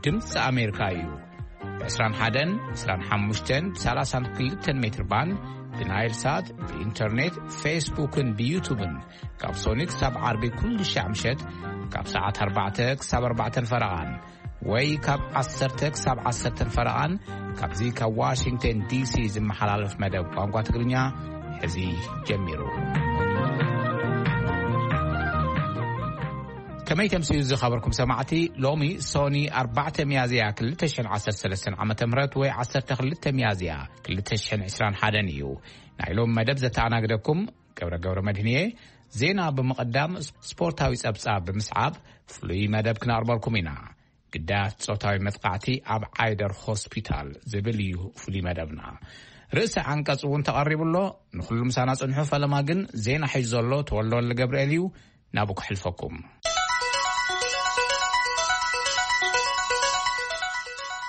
ድምፂ ኣሜሪካ እዩ። ብ21፣ 25፣ 32 ሜትር ባንድ፣ ብናይል ሳት፣ ብኢንተርኔት፣ ፌስቡክን ብዩቱብን፣ ካብ ሶኒ ክሳብ ዓርቢ ኩሉ ሻዕ ምሸት፣ ካብ ሰዓት ኣርባዕተ ክሳብ ኣርባዕተን ፈረቓን፣ ወይ ካብ ዓሰርተ ክሳብ ዓሰርተን ፈረቓን፣ ካብዚ ካብ ዋሽንግተን ዲሲ ዝመሓላለፍ መደብ ቋንቋ ትግርኛ ሕዚ ጀሚሩ። ከመይ ተምስዩ ዝኸበርኩም ሰማዕቲ፣ ሎሚ ሶኒ ኣርባዕተ ሚያዝያ ክልተ ሽሕን ዓሰርተ ሰለስተን ዓመተ ምህረት ወይ ዓሰርተ ክልተ ሚያዝያ ክልተ ሽሕን ዕስራን ሓደን እዩ። ናይ ሎሚ መደብ ዘተኣናግደኩም ገብረ ገብረ መድህንየ። ዜና ብምቕዳም ስፖርታዊ ጸብጻብ ብምስዓብ ፍሉይ መደብ ክነቕርበልኩም ኢና። ግዳያት ጾታዊ መጥቃዕቲ ኣብ ዓይደር ሆስፒታል ዝብል እዩ ፍሉይ መደብና። ርእሰ ዓንቀጽ እውን ተቐሪቡ ኣሎ። ንኹሉ ምሳና ጽንሑ። ፈለማ ግን ዜና ሒዙ ዘሎ ተወልደ ወልደ ገብርኤል እዩ። ናብኡ ክሕልፈኩም።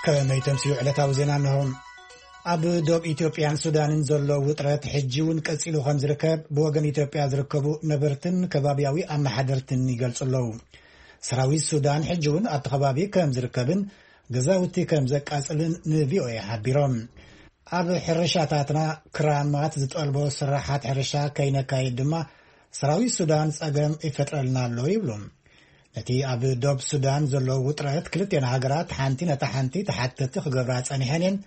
ከመይ ተምስዩ ዕለታዊ ዜና እንሆ። ኣብ ዶብ ኢትዮጵያን ሱዳንን ዘሎ ውጥረት ሕጂ እውን ቀጺሉ ከም ዝርከብ ብወገን ኢትዮጵያ ዝርከቡ ነበርትን ከባብያዊ ኣመሓደርትን ይገልጹ ኣለዉ። ሰራዊት ሱዳን ሕጂ እውን ኣብቲ ከባቢ ከም ዝርከብን ገዛውቲ ከም ዘቃጽልን ንቪኦኤ ሓቢሮም። ኣብ ሕርሻታትና ክራማት ዝጠልቦ ስራሓት ሕርሻ ከይነካይድ ድማ ሰራዊት ሱዳን ጸገም ይፈጥረልና ኣሎ ይብሉ። ነቲ ኣብ ዶብ ሱዳን ዘሎ ውጥረት ክልቴን ሃገራት ሓንቲ ነታ ሓንቲ ተሓተቲ ክገብራ ጸኒሐን እየን።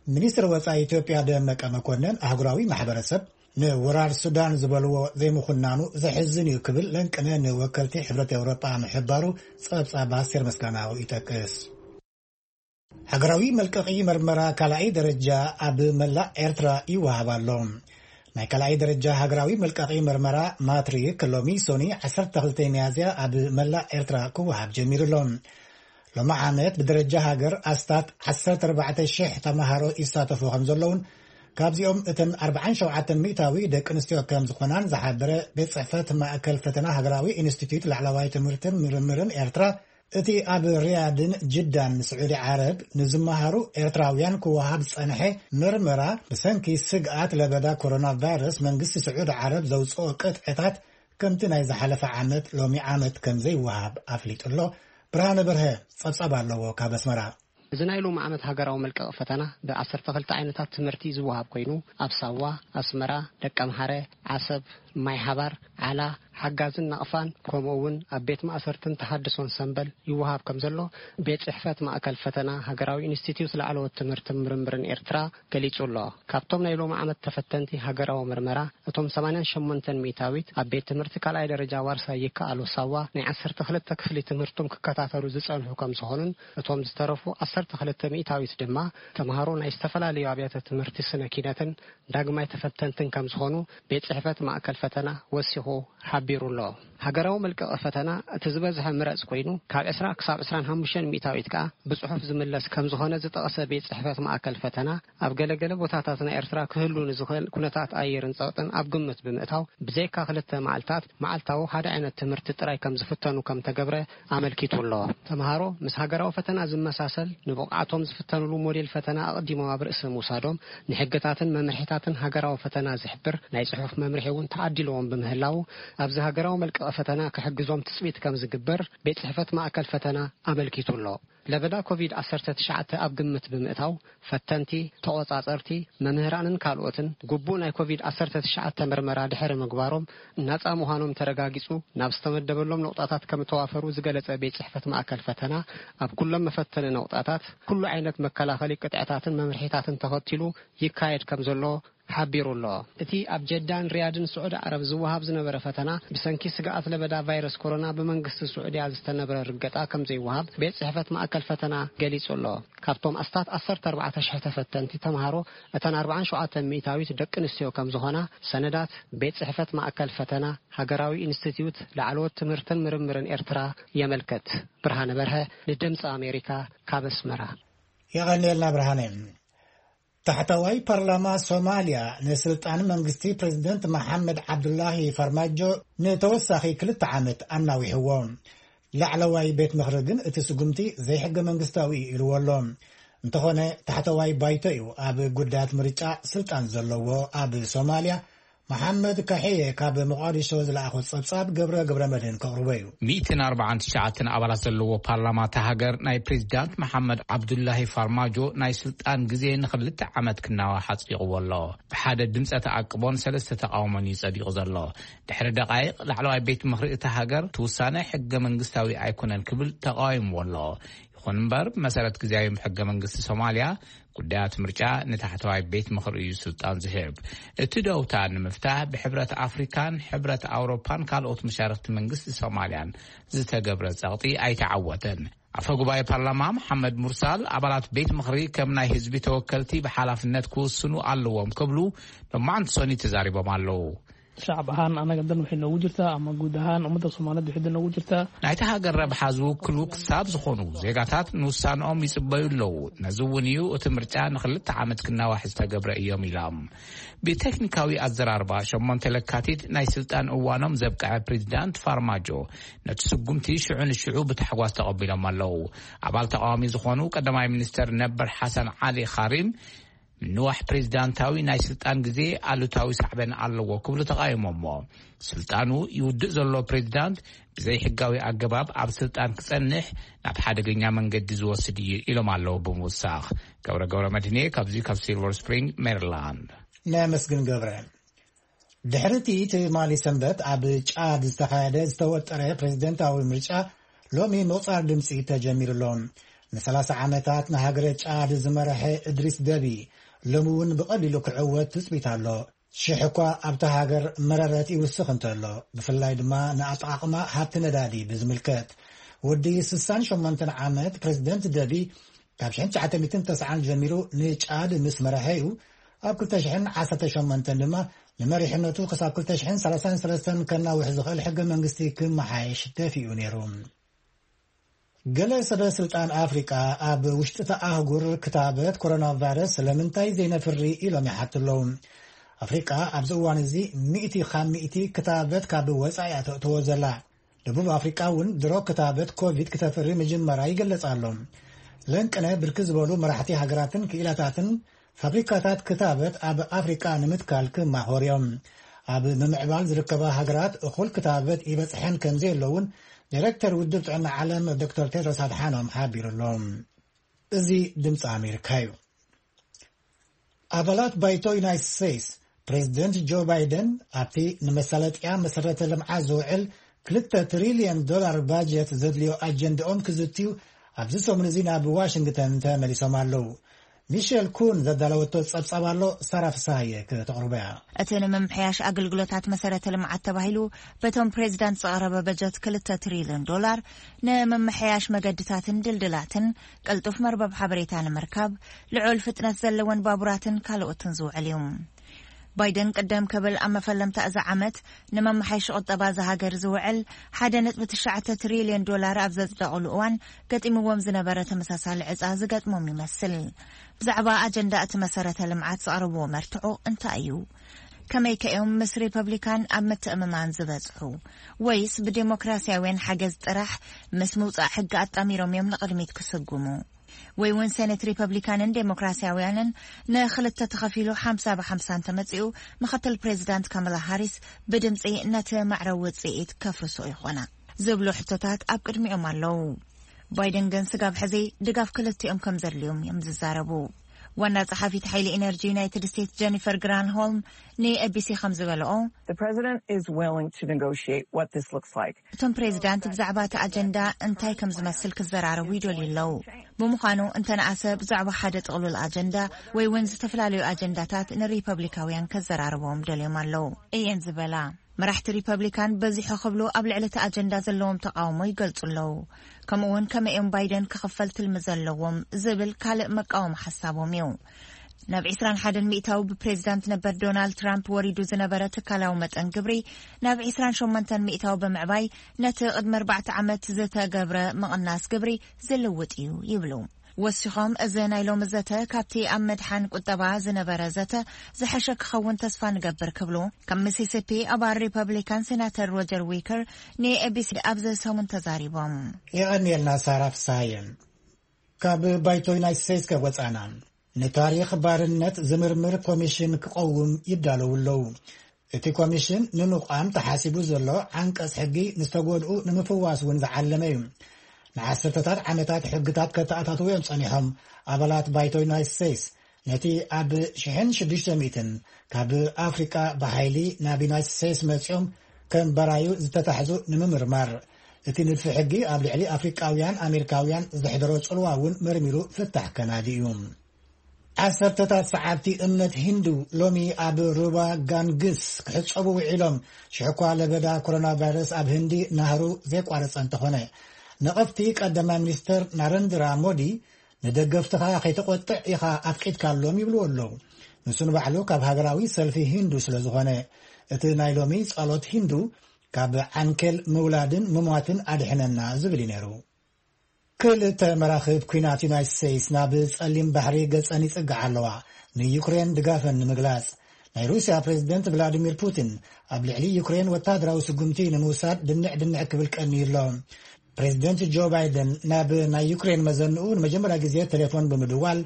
ሚኒስትር ወጻኢ ኢትዮጵያ ደመቀ መኮንን ኣህጉራዊ ማሕበረሰብ ንወራር ሱዳን ዝበልዎ ዘይምኹናኑ ዘሕዝን እዩ ክብል ለንቅነ ንወከልቲ ሕብረት ኤውሮጳ ምሕባሩ ጸብጻብ ኣስቴር ምስጋናው ይጠቅስ። ሃገራዊ መልቀቒ መርመራ ካልኣይ ደረጃ ኣብ መላእ ኤርትራ ይወሃብ ኣሎ። ናይ ካልኣይ ደረጃ ሃገራዊ መልቀቒ መርመራ ማትሪክ ሎሚ ሶኒ ዓሰርተ ክልተ ሚያዝያ ኣብ መላእ ኤርትራ ክወሃብ ጀሚሩ ኣሎ። ሎሚ ዓመት ብደረጃ ሃገር ኣስታት ዓሰርተ ኣርባዕተ ሽሕ ተማሃሮ ይሳተፉ ከም ዘለውን ካብዚኦም እተን ኣርባዓን ሸውዓተን ሚእታዊ ደቂ ኣንስትዮ ከም ዝኾናን ዝሓበረ ቤት ጽሕፈት ማእከል ፈተና ሃገራዊ ኢንስቲትዩት ላዕለዋይ ትምህርትን ምርምርን ኤርትራ፣ እቲ ኣብ ሪያድን ጅዳን ስዑዲ ዓረብ ንዝመሃሩ ኤርትራውያን ክወሃብ ዝጸንሐ መርመራ ብሰንኪ ስግኣት ለበዳ ኮሮና ቫይረስ መንግስቲ ስዑዲ ዓረብ ዘውጽኦ ቅጥዕታት ከምቲ ናይ ዝሓለፈ ዓመት ሎሚ ዓመት ከም ዘይወሃብ ኣፍሊጡ ኣሎ። ብርሃነ በርሀ ጸብጻብ ኣለዎ ካብ ኣስመራ። እዚ ናይ ሎሚ ዓመት ሃገራዊ መልቀቒ ፈተና ብ12 ዓይነታት ትምህርቲ ዝወሃብ ኮይኑ፣ ኣብ ሳዋ፣ ኣስመራ፣ ደቀምሓረ፣ ዓሰብ፣ ማይ ሓባር፣ ዓላ፣ ሓጋዝን ናቕፋን፣ ከምኡ እውን ኣብ ቤት ማእሰርትን ተሃድሶን ሰምበል ይወሃብ ከም ዘሎ ቤት ጽሕፈት ማእከል ፈተና ሃገራዊ ኢንስቲትዩት ላዕለዎት ትምህርትን ምርምርን ኤርትራ ገሊጹ ኣሎ። ካብቶም ናይ ሎሚ ዓመት ተፈተንቲ ሃገራዊ መርመራ፣ እቶም ሰማንያን ሸሞንተን ሚእታዊት ኣብ ቤት ትምህርቲ ካልኣይ ደረጃ ዋርሳይ ይከኣሎ ሳዋ ናይ ዓሰርተ ክልተ ክፍሊ ትምህርቶም ክከታተሉ ዝጸንሑ ከም ዝኾኑን፣ እቶም ዝተረፉ ዓሰርተ ክልተ ሚእታዊት ድማ ተምሃሮ ናይ ዝተፈላለዩ ኣብያተ ትምህርቲ ስነ ኪነትን ዳግማይ ተፈተንትን ከም ዝኾኑ ቤት ጽሕፈት ማእከል ፈተና ወሲኹ ሓቢሩ ኣሎ። ሃገራዊ መልቀቒ ፈተና እቲ ዝበዝሐ ምረጽ ኮይኑ፣ ካብ ዕስራ ክሳብ ዕስራን ሓሙሽተን ሚእታዊት ከኣ ብጽሑፍ ዝምለስ ከም ዝኾነ ዝጠቐሰ ቤት ጽሕፈት ማእከል ፈተና፣ ኣብ ገለገለ ቦታታት ናይ ኤርትራ ክህሉ ንዝኽእል ኩነታት ኣየርን ጸቕጥን ኣብ ግምት ብምእታው፣ ብዘይካ ክልተ መዓልታት፣ መዓልታዊ ሓደ ዓይነት ትምህርቲ ጥራይ ከም ዝፍተኑ ከም ተገብረ ኣመልኪቱ ኣሎ። ተምሃሮ ምስ ሃገራዊ ፈተና ዝመሳሰል ንብቕዓቶም ዝፍተኑሉ ሞዴል ፈተና ኣቕዲሞም ኣብ ርእሲ ምውሳዶም፣ ንሕግታትን መምርሒታትን ሃገራዊ ፈተና ዝሕብር ናይ ጽሑፍ መምርሒ እውን ተዓዲልዎም ብምህላዉ፣ ኣብዚ ሃገራዊ መልቀቒ ፈተና ክሕግዞም ትጽቢት ከም ዝግበር ቤት ጽሕፈት ማእከል ፈተና ኣመልኪቱ ኣሎ። ለበዳ ኮቪድ ዓሰርተ ትሽዓተ ኣብ ግምት ብምእታው፣ ፈተንቲ፣ ተቖጻጸርቲ፣ መምህራንን ካልኦትን ግቡእ ናይ ኮቪድ ዓሰርተ ትሽዓተ መርመራ ድሕሪ ምግባሮም፣ ናጻ ምዃኖም ተረጋጊጹ ናብ ዝተመደበሎም ነቑጣታት ከም እተዋፈሩ ዝገለጸ ቤት ጽሕፈት ማእከል ፈተና፣ ኣብ ኩሎም መፈተኒ ነቑጣታት ኩሉ ዓይነት መከላኸሊ ቅጥዕታትን መምርሒታትን ተኸቲሉ ይካየድ ከም ዘሎ ሓቢሩ ኣሎ። እቲ ኣብ ጀዳን ሪያድን ስዑዲ ዓረብ ዝወሃብ ዝነበረ ፈተና ብሰንኪ ስግኣት ለበዳ ቫይረስ ኮሮና ብመንግስቲ ስዑድያ ዝተነበረ ርገጣ ከም ዘይወሃብ ቤት ጽሕፈት ማእከል ፈተና ገሊጹ ኣሎ። ካብቶም ኣስታት ዓሰርተ ኣርባዕተ ሽሕ ተፈተንቲ ተምሃሮ፣ እተን ኣርባዓን ሸውዓተን ሚእታዊት ደቂ ኣንስትዮ ከም ዝኾና ሰነዳት ቤት ጽሕፈት ማእከል ፈተና ሃገራዊ ኢንስቲትዩት ላዕለዎት ትምህርትን ምርምርን ኤርትራ የመልክት። ብርሃነ በርሀ ንድምፂ ኣሜሪካ ካብ ኣስመራ። የቐንየልና ብርሃነ። ታሕተዋይ ፓርላማ ሶማልያ ንስልጣን መንግስቲ ፕሬዝደንት መሓመድ ዓብዱላሂ ፋርማጆ ንተወሳኺ ክልተ ዓመት ኣናዊሕዎ። ላዕለዋይ ቤት ምኽሪ ግን እቲ ስጉምቲ ዘይሕገ መንግስታዊ እዩ ኢልዎ ኣሎ። እንተኾነ፣ ታሕተዋይ ባይቶ እዩ ኣብ ጉዳያት ምርጫ ስልጣን ዘለዎ ኣብ ሶማልያ። መሓመድ ካሕየ ካብ መቓዲሾ ዝለኣኾ ጸብጻብ ገብረ ገብረ መድህን ከቕርቦ እዩ። ሚእትን ኣርባዓን ትሽዓተን ኣባላት ዘለዎ ፓርላማ እታ ሃገር ናይ ፕሬዚዳንት መሓመድ ዓብዱላሂ ፋርማጆ ናይ ስልጣን ግዜ ንኽልተ ዓመት ክናዋሕ ኣጽዲቕዎ ኣሎ። ብሓደ ድምፀ ተኣቅቦን ሰለስተ ተቃውሞን እዩ ጸዲቑ ዘሎ። ድሕሪ ደቃይቕ ላዕለዋይ ቤት ምኽሪ እታ ሃገር ትውሳነ ሕገ መንግስታዊ ኣይኮነን ክብል ተቃዊምዎ ኣሎ። ይኹን እምበር ብመሰረት ግዜያዊ ሕገ መንግስቲ ሶማልያ ጉዳያት ምርጫ ንታሕተዋይ ቤት ምኽሪ እዩ ስልጣን ዝህብ። እቲ ደውታ ንምፍታሕ ብሕብረት ኣፍሪካን ሕብረት ኣውሮፓን ካልኦት መሻርክቲ መንግስቲ ሶማልያን ዝተገብረ ጸቕጢ ኣይተዓወተን። ኣፈ ጉባኤ ፓርላማ መሓመድ ሙርሳል ኣባላት ቤት ምኽሪ ከም ናይ ህዝቢ ተወከልቲ ብሓላፍነት ክውስኑ ኣለዎም ክብሉ ሎማዓንቲ ሰኒ ተዛሪቦም ኣለዉ። Shacab ahaan anaga dan waxay noogu jirtaa ama guud ahaan ummadda Soomaaliyeed waxay dan noogu jirtaa. ናይቲ ሃገር ረብሓ ዝውክሉ ክሳብ ዝኾኑ ዜጋታት ንውሳንኦም ይጽበዩ ኣለዉ። ነዚ እውን እዩ እቲ ምርጫ ንክልተ ዓመት ክናዋሕ ዝተገብረ እዮም ኢሎም። ብቴክኒካዊ ኣዘራርባ ሸሞንተ ለካቲት ናይ ስልጣን እዋኖም ዘብቅዐ ፕሬዚዳንት ፋርማጆ ነቲ ስጉምቲ ሽዑ ንሽዑ ብታሕጓስ ተቐቢሎም ኣለዉ። ኣባል ተቃዋሚ ዝኾኑ ቀዳማይ ሚኒስተር ነበር ሓሰን ዓሊ ካሪም ምንዋሕ ፕሬዚዳንታዊ ናይ ስልጣን ግዜ ኣሉታዊ ሳዕበን ኣለዎ ክብሉ ተቃይሞሞ። ስልጣኑ ይውድእ ዘሎ ፕሬዚዳንት ብዘይ ሕጋዊ ኣገባብ ኣብ ስልጣን ክጸንሕ ናብ ሓደገኛ መንገዲ ዝወስድ እዩ ኢሎም ኣለዉ ብምውሳኽ። ገብረ ገብረ መድህኔ ካብዚ ካብ ሲልቨር ስፕሪንግ ሜሪላንድ። ነመስግን ገብረ። ድሕሪ እቲ ትማሊ ሰንበት ኣብ ጫድ ዝተኻየደ ዝተወጠረ ፕሬዚደንታዊ ምርጫ ሎሚ ምቑጻር ድምፂ ተጀሚሩ ኣሎ። ንሰላሳ ዓመታት ንሃገረ ጫድ ዝመረሐ እድሪስ ደቢ ሎሚ እውን ብቐሊሉ ክዕወት ትፅቢት ኣሎ። ሽሕ እኳ ኣብታ ሃገር መረረት ይውስኽ እንተሎ፣ ብፍላይ ድማ ንኣጠቓቕማ ሃብቲ ነዳዲ ብዝምልከት፣ ወዲ ስሳን ሸሞንተን ዓመት ፕሬዚደንት ደቢ ካብ ሽሕን ትሽዓተ ሚእትን ተስዓን ጀሚሩ ንጫድ ምስ መረሐ እዩ። ኣብ ክልተ ሽሕን ዓሰርተ ሸሞንተን ድማ ንመሪሕነቱ ክሳብ ክልተ ሽሕን ሰላሳን ሰለስተን ከናውሕ ዝኽእል ሕገ መንግስቲ ክመሓየሽ ደፊኡ ነይሩ። ገለ ሰበ ስልጣን ኣፍሪቃ ኣብ ውሽጢ እታ ኣህጉር ክታበት ኮሮና ቫይረስ ስለምንታይ ዘይነፍሪ ኢሎም ይሓቱ ኣለዉ። ኣፍሪቃ ኣብዚ እዋን እዚ ሚእቲ ካብ ሚእቲ ክታበት ካብ ወጻኢ እያ ተእትዎ ዘላ። ደቡብ ኣፍሪቃ እውን ድሮ ክታበት ኮቪድ ክተፍሪ ምጅመራ ይግለጽ ኣሎ። ለንቅነ ብርክት ዝበሉ መራሕቲ ሃገራትን ክኢላታትን ፋብሪካታት ክታበት ኣብ ኣፍሪቃ ንምትካል ክማኾር እዮም። ኣብ ምምዕባል ዝርከባ ሃገራት እኹል ክታበት ይበጽሐን ከም ዘየሎ እውን ዳይሬክተር ውድብ ጥዕና ዓለም ዶክተር ቴድሮስ ኣድሓኖም ሓቢሩ ኣሎ። እዚ ድምፂ ኣሜሪካ እዩ። ኣባላት ባይቶ ዩናይትድ ስቴትስ ፕሬዚደንት ጆ ባይደን ኣብቲ ንመሳለጥያ መሰረተ ልምዓት ዝውዕል ክልተ ትሪልዮን ዶላር ባጀት ዘድልዮ ኣጀንዳኦም ክዝትዩ ኣብዚ ሰሙን እዚ ናብ ዋሽንግተን ተመሊሶም ኣለዉ። ሚሸል ኩን ዘዳለወቶ ጸብጻብ ኣሎ፣ ሳራ ፍስሃየ ከተቕርቦ እያ። እቲ ንምምሕያሽ ኣገልግሎታት መሰረተ ልምዓት ተባሂሉ በቶም ፕሬዚዳንት ዝቐረበ በጀት ክልተ ትሪልዮን ዶላር፣ ንምምሕያሽ መገድታትን ድልድላትን፣ ቅልጡፍ መርበብ ሓበሬታ ንምርካብ፣ ልዑል ፍጥነት ዘለወን ባቡራትን ካልኦትን ዝውዕል እዩ። ባይደን ቅደም ክብል ኣብ መፈለምታ እዚ ዓመት ንመመሓየሺ ቁጠባ እዛ ሃገር ዝውዕል ሓደ ነጥቢ ትሽዓተ ትሪልዮን ዶላር ኣብ ዘጽደቕሉ እዋን፣ ገጢምዎም ዝነበረ ተመሳሳሊ ዕጻ ዝገጥሞም ይመስል። ብዛዕባ ኣጀንዳ እቲ መሰረተ ልምዓት ዘቕረብዎ መርትዖ እንታይ እዩ? ከመይ ከ እዮም ምስ ሪፐብሊካን ኣብ ምትእምማን ዝበጽሑ? ወይስ ብዴሞክራሲያውያን ሓገዝ ጥራሕ ምስ ምውጻእ ሕጊ ኣጣሚሮም እዮም ንቕድሚት ክስጉሙ? ወይ እውን ሴኔት ሪፐብሊካንን ዴሞክራሲያውያንን ንኽልተ ተኸፊሉ ሓምሳ ብሓምሳ እንተመጺኡ፣ ምኽትል ፕሬዚዳንት ካማላ ሃሪስ ብድምጺ ነቲ ማዕረ ውጽኢት ከፍርሶ ይኾና? ዝብሉ ሕቶታት ኣብ ቅድሚኦም ኣለዉ። ባይደን ግን ስጋብ ሕዚ ድጋፍ ክልቲኦም ከም ዘድልዮም እዮም ዝዛረቡ። ዋና ጸሓፊት ሓይሊ ኤነርጂ ዩናይትድ ስቴትስ ጀኒፈር ግራንሆልም ንኤቢሲ ከም ዝበለኦ፣ The president is willing to negotiate what this looks like. እቶም ፕሬዚዳንት ብዛዕባ እቲ ኣጀንዳ እንታይ ከም ዝመስል ክዘራረቡ ይደልዩ ኣለዉ። ብምዃኑ እንተነኣሰ ብዛዕባ ሓደ ጥቕሉል ኣጀንዳ ወይ እውን ዝተፈላለዩ ኣጀንዳታት ንሪፐብሊካውያን ከዘራርቦም ደልዮም ኣለዉ እየን ዝበላ። መራሕቲ ሪፐብሊካን በዚሑ ክብሉ ኣብ ልዕሊ እቲ ኣጀንዳ ዘለዎም ተቃውሞ ይገልጹ ኣለዉ። ከምኡ እውን ከመይ እዮም ባይደን ክኽፈል ትልሚ ዘለዎም ዝብል ካልእ መቃወሚ ሓሳቦም እዩ። ናብ ዕስራን ሓደን ሚእታዊ ብፕሬዚዳንት ነበር ዶናልድ ትራምፕ ወሪዱ ዝነበረ ትካላዊ መጠን ግብሪ ናብ ዕስራን ሸሞንተን ሚእታዊ ብምዕባይ ነቲ ቅድሚ ኣርባዕተ ዓመት ዝተገብረ ምቕናስ ግብሪ ዝልውጥ እዩ ይብሉ። ወሲኾም እዚ ናይ ሎሚ ዘተ ካብቲ ኣብ መድሓን ቁጠባ ዝነበረ ዘተ ዝሐሸ ክኸውን ተስፋ ንገብር ክብሉ ካብ ሚሲሲፒ ኣባል ሪፐብሊካን ሴናተር ሮጀር ዊከር ንኤቢሲ ኣብዚ ሰሙን ተዛሪቦም። የቐንየልና ሳራ ፍስሃየ። ካብ ባይቶ ዩናይትድ ስቴትስ ከወፃና ንታሪኽ ባርነት ዝምርምር ኮሚሽን ክቐውም ይዳለዉ ኣለዉ። እቲ ኮሚሽን ንንቋም ተሓሲቡ ዘሎ ዓንቀጽ ሕጊ ንዝተጎድኡ ንምፍዋስ እውን ዝዓለመ እዩ። ንዓሰርተታት ዓመታት ሕግታት ከተኣታትዉ እዮም ጸኒሖም። ኣባላት ባይቶ ዩናይትድ ስቴትስ ነቲ ኣብ ሽሕን ሽዱሽተ ሚእትን ካብ ኣፍሪቃ ብሓይሊ ናብ ዩናይትድ ስቴትስ መጺኦም ከም በራዩ ዝተታሕዙ ንምምርማር፣ እቲ ንድፊ ሕጊ ኣብ ልዕሊ ኣፍሪቃውያን ኣሜሪካውያን ዘሕደሮ ጽልዋ እውን መርሚሩ ፍታሕ ከናዲ እዩ። ዓሰርተታት ሰዓብቲ እምነት ሂንዱ ሎሚ ኣብ ሩባ ጋንግስ ክሕጸቡ ውዒሎም፣ ሽሕኳ ለበዳ ኮሮና ቫይረስ ኣብ ህንዲ ናህሩ ዘይቋረጸ እንተኾነ። ነቐፍቲ ቀዳማይ ሚኒስተር ናረንድራ ሞዲ፣ ንደገፍትኻ ከይተቖጥዕ ኢኻ ኣፍቂድካሎም ይብልዎ ኣለዉ። ንሱ ንባዕሉ ካብ ሃገራዊ ሰልፊ ሂንዱ ስለ ዝኾነ፣ እቲ ናይ ሎሚ ጸሎት ሂንዱ ካብ ዓንኬል ምውላድን ምሟትን ኣድሕነና ዝብል እዩ ነይሩ። ክልተ መራኽብ ኲናት ዩናይትድ ስቴትስ ናብ ጸሊም ባሕሪ ገጸን ይጽግዓ ኣለዋ፣ ንዩክሬን ድጋፈን ንምግላጽ። ናይ ሩስያ ፕሬዝደንት ቭላዲሚር ፑቲን ኣብ ልዕሊ ዩክሬን ወታደራዊ ስጉምቲ ንምውሳድ ድንዕ ድንዕ ክብል ቀንዩ ኣሎ። ፕሬዝደንት ጆ ባይደን ናብ ናይ ዩክሬን መዘንኡ ንመጀመርያ ግዜ ቴሌፎን ብምድዋል፣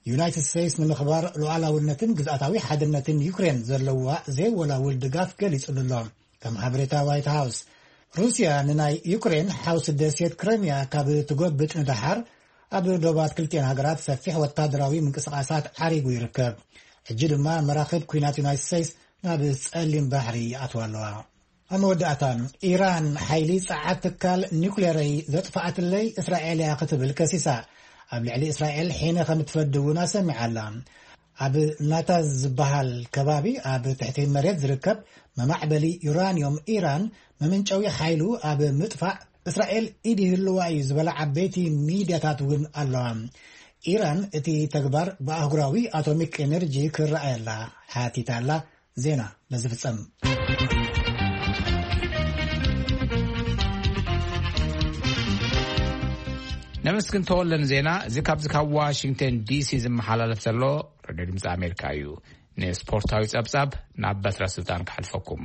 ዩናይትድ ስቴትስ ንምኽባር ሉዓላውነትን ግዝኣታዊ ሓድነትን ዩክሬን ዘለዋ ዘይወላውል ድጋፍ ገሊጹሉ ኣሎ። ከም ሓበሬታ ዋይት ሃውስ፣ ሩስያ ንናይ ዩክሬን ሓውሲ ደሴት ክረምያ ካብ ትጎብጥ ንደሓር፣ ኣብ ዶባት ክልቲኤን ሃገራት ሰፊሕ ወታደራዊ ምንቅስቓሳት ዓሪጉ ይርከብ። ሕጂ ድማ መራኽብ ኲናት ዩናይትድ ስቴትስ ናብ ጸሊም ባሕሪ ይኣትዋ ኣለዋ። ኣብ መወዳእታ፣ ኢራን ሓይሊ ጸዓት ትካል ኒውክሌረይ ዘጥፍኣትለይ እስራኤል እያ ክትብል ከሲሳ። ኣብ ልዕሊ እስራኤል ሒነ ከም እትፈዲ እውን ኣሰሚዓ ኣላ። ኣብ ናታዝ ዝበሃል ከባቢ ኣብ ትሕቲ መሬት ዝርከብ መማዕበሊ ዩራንዮም ኢራን መመንጨዊ ሓይሉ ኣብ ምጥፋእ እስራኤል ኢድ ይህልዋ እዩ ዝበላ ዓበይቲ ሚድያታት እውን ኣለዋ። ኢራን እቲ ተግባር ብኣህጉራዊ ኣቶሚክ ኤነርጂ ክረኣየላ ሓቲታ ኣላ። ዜና በዚ ፍጸም። ነመስግን ተወለን ዜና እዚ ካብዚ ካብ ዋሽንግተን ዲሲ ዝመሓላለፍ ዘሎ ሬድዮ ድምፂ ኣሜሪካ እዩ። ንስፖርታዊ ጸብጻብ ናብ በትረ ስልጣን ክሓልፈኩም።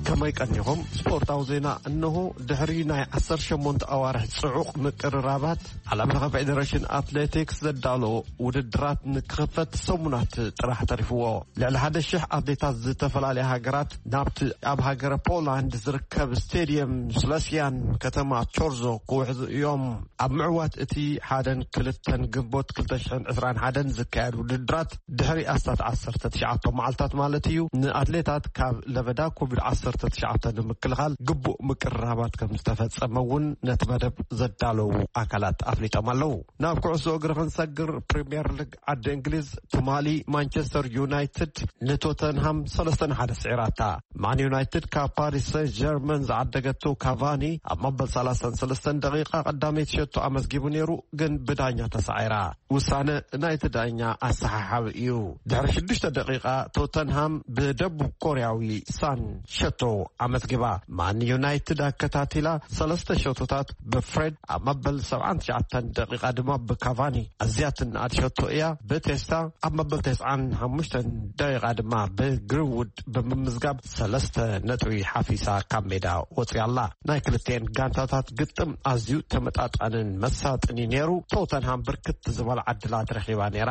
ከመይ ቀኒኹም? ስፖርታዊ ዜና እነሆ። ድሕሪ ናይ ዓሰርተ ሸሞንተ ኣዋርሕ ጽዑቕ ምቅርራባት፣ ዓለም ለኸ ፌደሬሽን ኣትሌቲክስ ዘዳለዎ ውድድራት ንክኽፈት ሰሙናት ጥራሕ ተሪፍዎ። ልዕሊ ሓደ ሽሕ ኣትሌታት ዝተፈላለያ ሃገራት ናብቲ ኣብ ሃገረ ፖላንድ ዝርከብ ስቴድየም ስለስያን ከተማ ቾርዞ ክውሕዙ እዮም። ኣብ ምዕዋት እቲ ሓደን ክልተን ግንቦት ክልተ ሽሕን ዕስራን ሓደን ዝካየድ ውድድራት ድሕሪ ኣስታት ዓሰርተ ትሽዓተ መዓልታት ማለት እዩ፣ ንኣትሌታት ካብ ለበዳ ኮቪድ ዓሰርተ ትሽዓተ ንምክልኻል ግቡእ ምቅርራባት ከም ዝተፈጸመ እውን ነቲ መደብ ዘዳለዉ ኣካላት ኣፍሊጦም ኣለዉ። ናብ ኩዕሶ እግሪ ክንሰግር፣ ፕሪምየር ሊግ ዓዲ እንግሊዝ ትማሊ ማንቸስተር ዩናይትድ ንቶተንሃም ሰለስተ ንሓደ ስዒራታ። ማን ዩናይትድ ካብ ፓሪስ ሰን ጀርመን ዝዓደገቶ ካቫኒ ኣብ መበል ሰላሳን ሰለስተን ደቂቃ ቀዳመይቲ ሸቶ ኣመዝጊቡ ነይሩ፣ ግን ብዳኛ ተሳዒራ። ውሳነ ናይቲ ዳኛ ኣሰሓሓቢ እዩ። ድሕሪ ሽዱሽተ ደቂቃ ቶተንሃም ብደቡብ ኮርያዊ ሳን ሸቶ ኣመዝጊባ። ማን ዩናይትድ ኣከታቲላ ሰለስተ ሸቶታት ብፍሬድ፣ ኣብ መበል ሰብዓን ትሽዓተን ደቂቃ ድማ ብካቫኒ። ኣዝያ ትንኣድ ሸቶ እያ። ብቴስታ ኣብ መበል ተስዓን ሓሙሽተን ደቂቃ ድማ ብግሪንውድ ብምምዝጋብ ሰለስተ ነጥቢ ሓፊሳ ካብ ሜዳ ወፅያ ኣላ። ናይ ክልቲኤን ጋንታታት ግጥም ኣዝዩ ተመጣጣንን መሳጥን እዩ ነይሩ። ቶተንሃም ብርክት ዝበላ ዕድላት ረኺባ ነይራ፣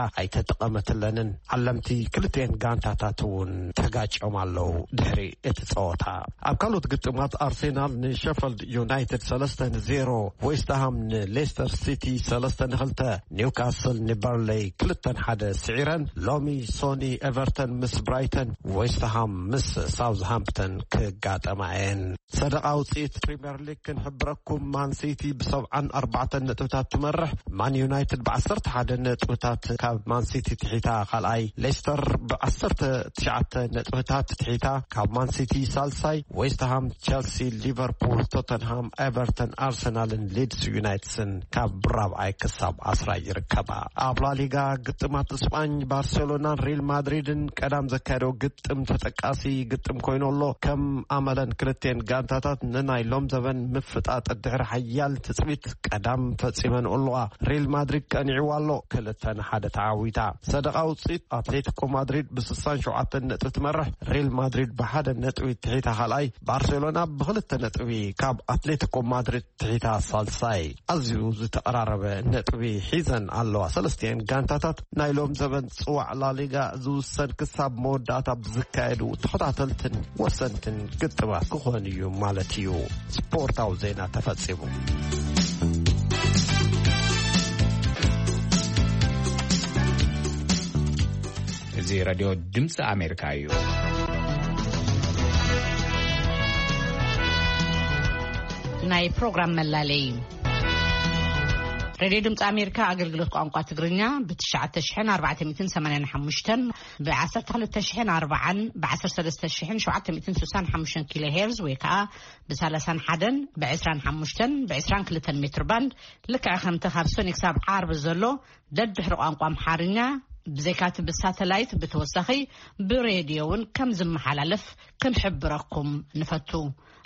ኣይተጠቐመትለንን። ዓለምቲ ክልቲኤን ጋንታታት እውን ተጋጭዮም ኣለዉ ድሕሪ እቲ ጸወታ። ኣብ ካልኦት ግጥማት፣ ኣርሴናል ንሸፈልድ ዩናይትድ ሰለስተ ንዜሮ፣ ዌስትሃም ንሌስተር ሲቲ ሰለስተ ንክልተ፣ ኒውካስል ንበርለይ ክልተ ንሓደ ስዒረን። ሎሚ ሶኒ ኤቨርተን ምስ ብራይተን፣ ዌስትሃም ምስ ሳውዝሃምፕተን ክጋጠማ እየን። ሰደቓ ውፅኢት ፕሪምየር ሊግ ክንሕብረኩም፣ ማን ሲቲ ብሰብዓን ኣርባዕተን ነጥብታት ትመርሕ። ማን ዩናይትድ ብዓሰርተ ሓደ ነጥብታት ካብ ማን ሲቲ ትሒታ ካልኣይ፣ ሌስተር ብዓሰርተ ትሽዓተ ነጥብታት ትሒታ ካብ ማን ሲቲ ሳልሳይ፣ ዌስትሃም፣ ቸልሲ፣ ሊቨርፑል፣ ቶተንሃም፣ ኤቨርተን፣ ኣርሰናልን ሊድስ ዩናይትስን ካብ ራብዓይ ክሳብ ዓስራይ ይርከባ። ኣብ ላሊጋ ግጥማት ስጳኝ፣ ባርሴሎናን ሪል ማድሪድን ቀዳም ዘካየደው ግጥም ተጠቃሲ ግጥም ኮይኑ ኣሎ። ከም ኣመለን ክልቴን ጋንታታት ንናይ ሎም ዘበን ምፍጣጥ ድሕሪ ሓያል ትጽቢት ቀዳም ፈጺመን ኣለዋ። ሪል ማድሪድ ቀኒዕዋ ኣሎ፣ ክልተ ንሓደ ተዓዊታ። ሰደቓ ውጽኢት ኣትሌቲኮ ማድሪድ ብ67 ነጥቢ ትመርሕ፣ ሪል ማድሪድ ብሓደ ነጥቢ ትሒታ ካልኣይ፣ ባርሴሎና ብክልተ ነጥቢ ካብ ኣትሌቲኮ ማድሪድ ትሒታ ሳልሳይ። ኣዝዩ ዝተቐራረበ ነጥቢ ሒዘን ኣለዋ። ሰለስቲኤን ጋንታታት ናይ ሎም ዘበን ጽዋዕ ላሊጋ ዝውሰን ክሳብ መወዳእታ ብዝካየዱ ተኸታተልትን ወሰንትን ግጥማት ክኾን እዩ ማለት እዩ። ስፖርታዊ ዜና ተፈጺሙ። እዚ ሬድዮ ድምፂ ኣሜሪካ እዩ። ናይ ፕሮግራም መላለይ። ሬድዮ ድምፂ ኣሜሪካ ኣገልግሎት ቋንቋ ትግርኛ ብ9,485፣ ብ12,040፣ ብ13,765 ኪሎ ሄርዝ ወይ ከዓ ብ31፣ ብ25፣ ብ22 ሜትር ባንድ፣ ልክዕ ከምቲ ካብ ሰኒ ክሳብ ዓርቢ ዘሎ ደድሕሪ ቋንቋ ኣምሓርኛ፣ ብዘይካቲ ብሳተላይት ብተወሳኺ ብሬድዮ እውን ከም ዝመሓላለፍ ክንሕብረኩም ንፈቱ።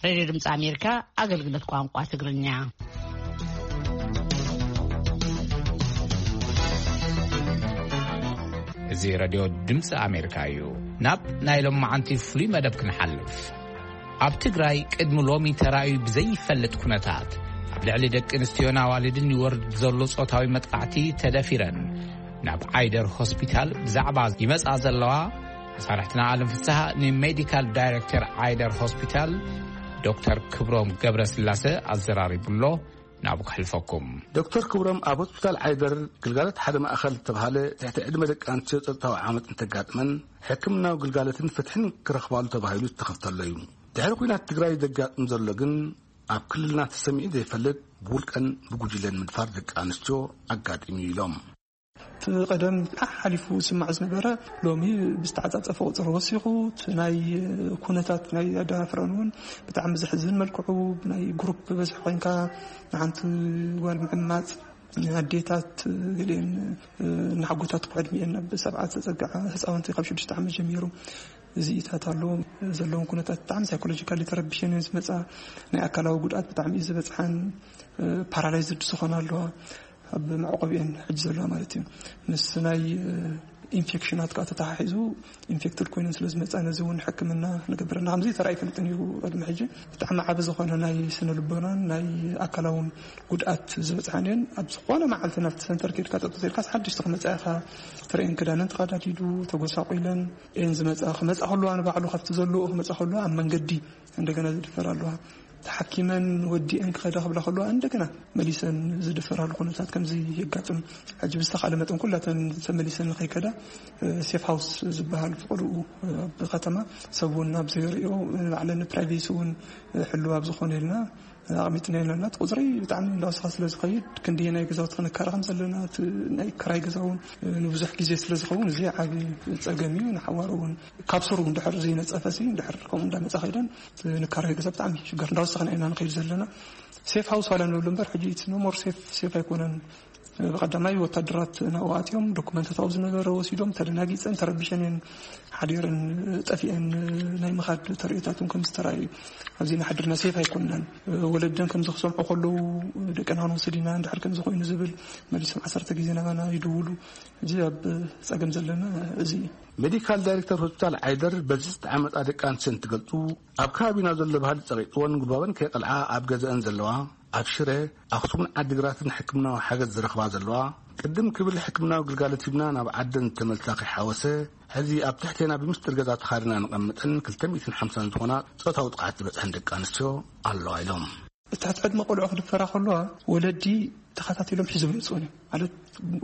ሬድዮ ድምፂ ኣሜሪካ ኣገልግሎት ቋንቋ ትግርኛ። እዚ ሬድዮ ድምፂ ኣሜሪካ እዩ። ናብ ናይ ሎማዓንቲ ፍሉይ መደብ ክንሓልፍ። ኣብ ትግራይ ቅድሚ ሎሚ ተራእዩ ብዘይፈልጥ ኩነታት ኣብ ልዕሊ ደቂ ኣንስትዮን ኣዋልድን ይወርድ ዘሎ ጾታዊ መጥቃዕቲ ተደፊረን ናብ ዓይደር ሆስፒታል ብዛዕባ ይመጻ ዘለዋ መሳርሕትና ኣለም ፍስሃ ንሜዲካል ዳይሬክተር ዓይደር ሆስፒታል ዶክተር ክብሮም ገብረስላሰ ኣዘራሪቡሎ። ናብኡ ከሕልፈኩም። ዶክተር ክብሮም ኣብ ሆስፒታል ዓይደር ግልጋሎት ሓደ ማእኸል ዝተባህለ ትሕቲ ዕድመ ደቂ ኣንስትዮ ጸጥታዊ ዓመጽ እንተጋጥመን ሕክምናዊ ግልጋሎትን ፍትሕን ክረኽባሉ ተባሂሉ ዝተኸፍተሎ እዩ። ድሕሪ ኲናት ትግራይ ዘጋጥም ዘሎ ግን ኣብ ክልልና ተሰሚዑ ዘይፈልጥ ብውልቀን ብጉጅለን ምድፋር ደቂ ኣንስትዮ ኣጋጢሙ እዩ ኢሎም። እቲ ቀደም ሓሓሊፉ ዝስማዕ ዝነበረ ሎሚ ብዝተዓጻጸፈ ቁጽሪ ወሲኹ፣ እቲ ናይ ኩነታት ናይ ኣደፋፍራን እውን ብጣዕሚ ዘሕዝን መልክዑ ብናይ ግሩፕ በዝሒ ኮይንካ ንሓንቲ ጓል ምዕማጽ፣ ኣዴታት ገሊአን እናሓጎታት ዕድሚኤን ናብ ሰብዓ ዘጸግዓ ህፃውንቲ ካብ ሽዱሽተ ዓመት ጀሚሩ እዚኢታት ኣሎ። ዘለውን ኩነታት ብጣዕሚ ሳይኮሎጂካሊ ተረቢሸን እየን ዝመፃ። ናይ ኣካላዊ ጉድኣት ብጣዕሚ እዩ ዝበፅሓን፣ ፓራላይዝድ ዝኾና ኣለዋ ኣብ መዕቆቢኤን ሕጂ ዘለዋ ማለት እዩ። ምስ ናይ ኢንፌክሽናት ከዓ ተተሓሒዙ ኢንፌክትድ ኮይነን ስለ ዝመፃ ነዚ እውን ሕክምና ንገብረና ከምዚ ተራእዩ ይፈልጥን እዩ። ቅድሚ ሕጂ ብጣዕሚ ዓቢ ዝኾነ ናይ ስነ ልቦናን ናይ ኣካላውን ጉድኣት ዝበፅሓን እየን። ኣብ ዝኾነ መዓልቲ ናብቲ ሰንተር ከይድካ ጠጠው ኢልካስ ሓድሽቲ ክመፃ ኢኻ ትርእየን። ክዳነን ተቐዳዲዱ ተጎሳቑለን እየን ዝመፃ። ክመፃ ከለዋ ንባዕሉ ካብቲ ዘለዎ ክመፃ ከለዋ ኣብ መንገዲ እንደገና ዝድፈር ኣለዋ። ተሓኪመን ወዲአን ክኸዳ ክብላ ከለዋ እንደገና መሊሰን ዝድፈራሉ ኩነታት ከምዚ የጋጥም። ሕጂ ብዝተኻለ መጠን ኩላተን ተመሊሰን ንኸይከዳ ሴፍ ሃውስ ዝበሃል ፍቕድኡ ኣብ ከተማ ሰብ እውን ኣብ ዘይርእዮ ባዕለን ፕራይቬሲ እውን ሕልው ኣብ ዝኾነ ኢልና ኣቕሚጥና ኣለና። እቲ ቁፅሪ ብጣዕሚ እንዳወሰኸ ስለ ዝኸይድ ክንደየ ናይ ገዛውቲ ክንካረ ከም ዘለና እቲ ናይ ክራይ ገዛ እውን ንብዙሕ ግዜ ስለ ዝኸውን እዚ ዓቢ ፀገም እዩ። ንሓዋሩ እውን ካብ ስሩ እንድሕር ዘይነፀፈ ሲ እንድሕር ከምኡ እንዳመፃ ከይደን ንካራይ ገዛ ብጣዕሚ ሽገር እንዳወሰኽና ኢና ንኸይድ ዘለና። ሴፍ ሃውስ ዋላ ንብሉ እምበር ሕጂ ኢትስ ኖ ሞር ሴፍ ሴፍ ኣይኮነን። ብቐዳማይ ወታደራት ናብኡ ኣትዮም ዶኩመንታት ኣብኡ ዝነበረ ወሲዶም ተደናጊፀን ተረቢሸን እየን ሓዲረን ጠፊአን ናይ ምኻድ ተርእዮታት እውን ከም ዝተራእዩ ኣብዚ ንሓድርና ሴፍ ኣይኮንናን። ወለደን ከም ዝክሰምዑ ከለዉ ደቀና ክንወስድ ኢና እንድሕር ከም ዝኾይኑ ዝብል መሊሶም ዓሰርተ ግዜ ናባና ይድውሉ። እዚ ኣብ ፀገም ዘለና እዚ እዩ። ሜዲካል ዳይሬክተር ሆስፒታል ዓይደር በዚ ዝተዓመጣ ደቂ ኣንስትዮ እንትገልፁ ኣብ ከባቢና ዘሎ ባህሊ ፀቂጥወን ጉልባበን ከይቐልዓ ኣብ ገዛአን ዘለዋ ኣብ ሽረ ኣኽሱምን ዓዲግራትን ሕክምናዊ ሓገዝ ዝረኽባ ዘለዋ ቅድም ክብል ሕክምናዊ ግልጋሎት ሂብና ናብ ዓደን ተመልሳ ከይሓወሰ ሕዚ ኣብ ትሕቴና ብምስጢር ገዛ ተኻሪና ንቐምጠን ክልተ ሚእትን ሓምሳን ዝኾና ፆታዊ ጥቕዓት ዝበፅሐን ደቂ ኣንስትዮ ኣለዋ ኢሎም። እቲ ዕድመ ቆልዑ ክድፈራ ከለዋ ወለዲ ተኸታቲሎም ሒዞም ይምፅኡን እዮም ማለት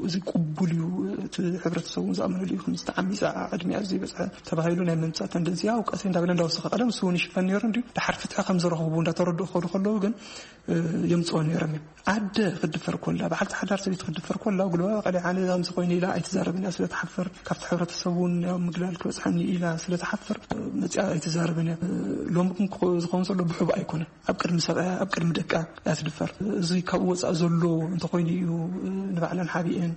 እዚ ቅቡል እዩ። እቲ ሕብረተሰብ እውን ዝኣመነሉ እዩ። ከምዚ ተዓሚፃ ዕድሚኣ ዘይበፅሐ ተባሂሉ ናይ ምምፃእ ተንደንሲ ያው ቀስ እንዳበለ እንዳወሰኸ ቀደም እሱ እውን ይሽፈን ነይሩ እንዲሁ ድሓር ፍትሒ ከም ዝረኸቡ እንዳተረድኡ ክኸዱ ከለዉ ግን የምፅኦ ነይሮም እዮም። ኣደ ክድፈር ኮላ በዓልቲ ሓዳር ሰበይቲ ክድፈር ኮላ ጉልባ ቀሊዓ ኣነ ከምዚ ኮይኑ ኢላ ኣይትዛረብን እያ ስለትሓፍር ካብቲ ሕብረተሰብ እውን ያው ምግላል ክበፅሓኒ ኢላ ስለትሓፍር መፅኣ ኣይትዛረብን እያ። ሎሚ ግን ክኸ- ዝኸውን ዘሎ ብሕቡ ኣይኮነን። ኣብ ቅድሚ ሰብኣያ ኣብ ቅድሚ ደቃ እያ ትድፈር። እዚ ካብኡ ወፃእ ዘሎ እንተኾይኑ እዩ ንባዕለን ሓቢኤን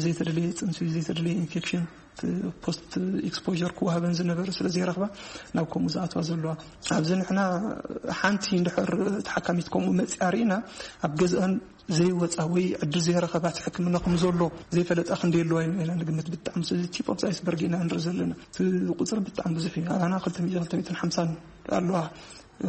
ዘይተደለየ ፅንሲ፣ ዘይተደለየ ኢንፌክሽን፣ ፖስት ኤክስፖር ክወሃበን ዝነበረ ስለ ዘይረኽባ ናብ ከምኡ ዝኣትዋ ዘለዋ። ኣብዚ ንሕና ሓንቲ እንድሕር ተሓካሚት ከምኡ መፅያ ርኢና ኣብ ገዝአን ዘይወፃ ወይ ዕድል ዘይረኸባት ሕክምና ከም ዘሎ ዘይፈለጣ ክንደይ ኣለዋ ኢና ንግምት። ብጣዕሚ ቲፕ ኦፍ ኣይስበርግ ኢና ንርኢ ዘለና። እቲ ቁፅሪ ብጣዕሚ ብዙሕ እዩ። ኣባና ክልተ ሚእቲ፣ ክልተ ሚእትን ሓምሳን ኣለዋ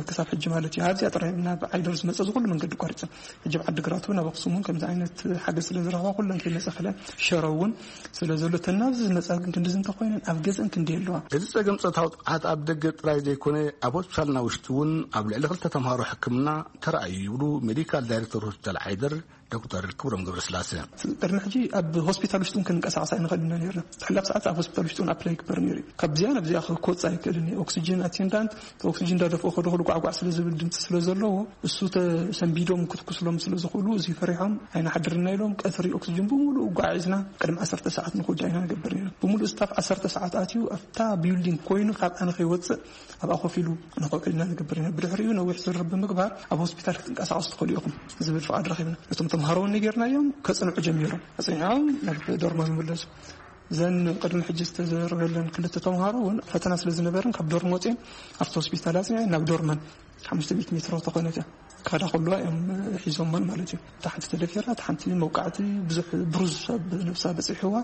ክሳብ ሕጂ ማለት እዩ። ኣብዚኣ ጥራይ ናብ ዓይደር ዝመፀ ዝኩሉ መንገዲ ኣቋሪፀን ሕጂ ኣብ ዓዲ ግራቱ ናብ ኣክሱም እውን ከምዚ ዓይነት ሓገዝ ስለ ዝረኽባ ኩለን ከይመፃ ክለን ሸረ እውን ስለ ዘሎ ተናብዚ ዝመፃ ግን ክንድዚ እንተኮይነን ኣብ ገዝአን ክንደይ ኣለዋ። እዚ ጸገም ጾታዊ ጥቕዓት ኣብ ደገ ጥራይ ዘይኮነ ኣብ ሆስፒታልና ውሽጢ እውን ኣብ ልዕሊ ክልተ ተምሃሮ ሕክምና ተራእዩ ይብሉ ሜዲካል ዳይሬክተር ሆስፒታል ዓይደር ዶክተር ክብሮም ገብረስላሰ። ቅድሚ ሕጂ ኣብ ሆስፒታል ውሽጥን ክንንቀሳቐስ ኣይንኽእል ኢና ነርና። ትሕላፍ ሰዓት ኣብ ሆስፒታል ውሽጥን ኣፕላይ ይግበር ነይሩ እዩ። ካብዚኣ ናብዚኣ ክወፅእ ኣይክእልን እዩ። ኦክሲጅን ኣቴንዳንት ኦክሲጅን እንዳደፍኦ ከደኹሉ ጓዕጓዕ ስለ ዝብል ድምፂ ስለ ዘለዎ እሱ ተሰንቢዶም ክትኩስሎም ስለ ዝኽእሉ እዚ ፈሪሖም ኣይንሓድርና ኢሎም ቀትሪ ኦክሲጅን ብምሉእ ጓዒዝና ቅድሚ ዓሰርተ ሰዓት ንክወዳ ኢና ንገብር ነርና። ብምሉእ ስታፍ ዓሰርተ ሰዓት ኣትዩ ኣብታ ቢልዲንግ ኮይኑ ካብ ኣነ ከይወፅእ ኣብኣ ኮፍ ኢሉ ንኸውዒልና ንገብር ኢና። ብድሕሪኡ ነዊሕ ዝርርብ ብምግባር ኣብ ሆስፒታል ክትንቀሳቐሱ ትኽእሉ ኢኹም ዝብል ፍቓድ ረኺብና። እቶም ተምሃሮ እውን ነጌርናዮም ከጽንዑ ጀሚሮም። ኣጽኒዖም ናብ ዶርሞም ይምለሱ። እዘን ቅድሚ ሕጂ ዝተዘረበለን ክልተ ተምሃሮ እውን ፈተና ስለ ዝነበረን ካብ ዶርም ወፅኤን ኣብቲ ሆስፒታል ኣጽኒዐን ናብ ዶርመን ሓሙሽተ ሚእቲ ሜትሮ ተኾነት እያ። ካዳ ከለዋ እዮም ሒዞሞን ማለት እዩ። እታ ሓንቲ ተደፊራ፣ እታ ሓንቲ መውቃዕቲ ብዙሕ ብሩዝ ኣብ ነብሳ በፂሕዋ።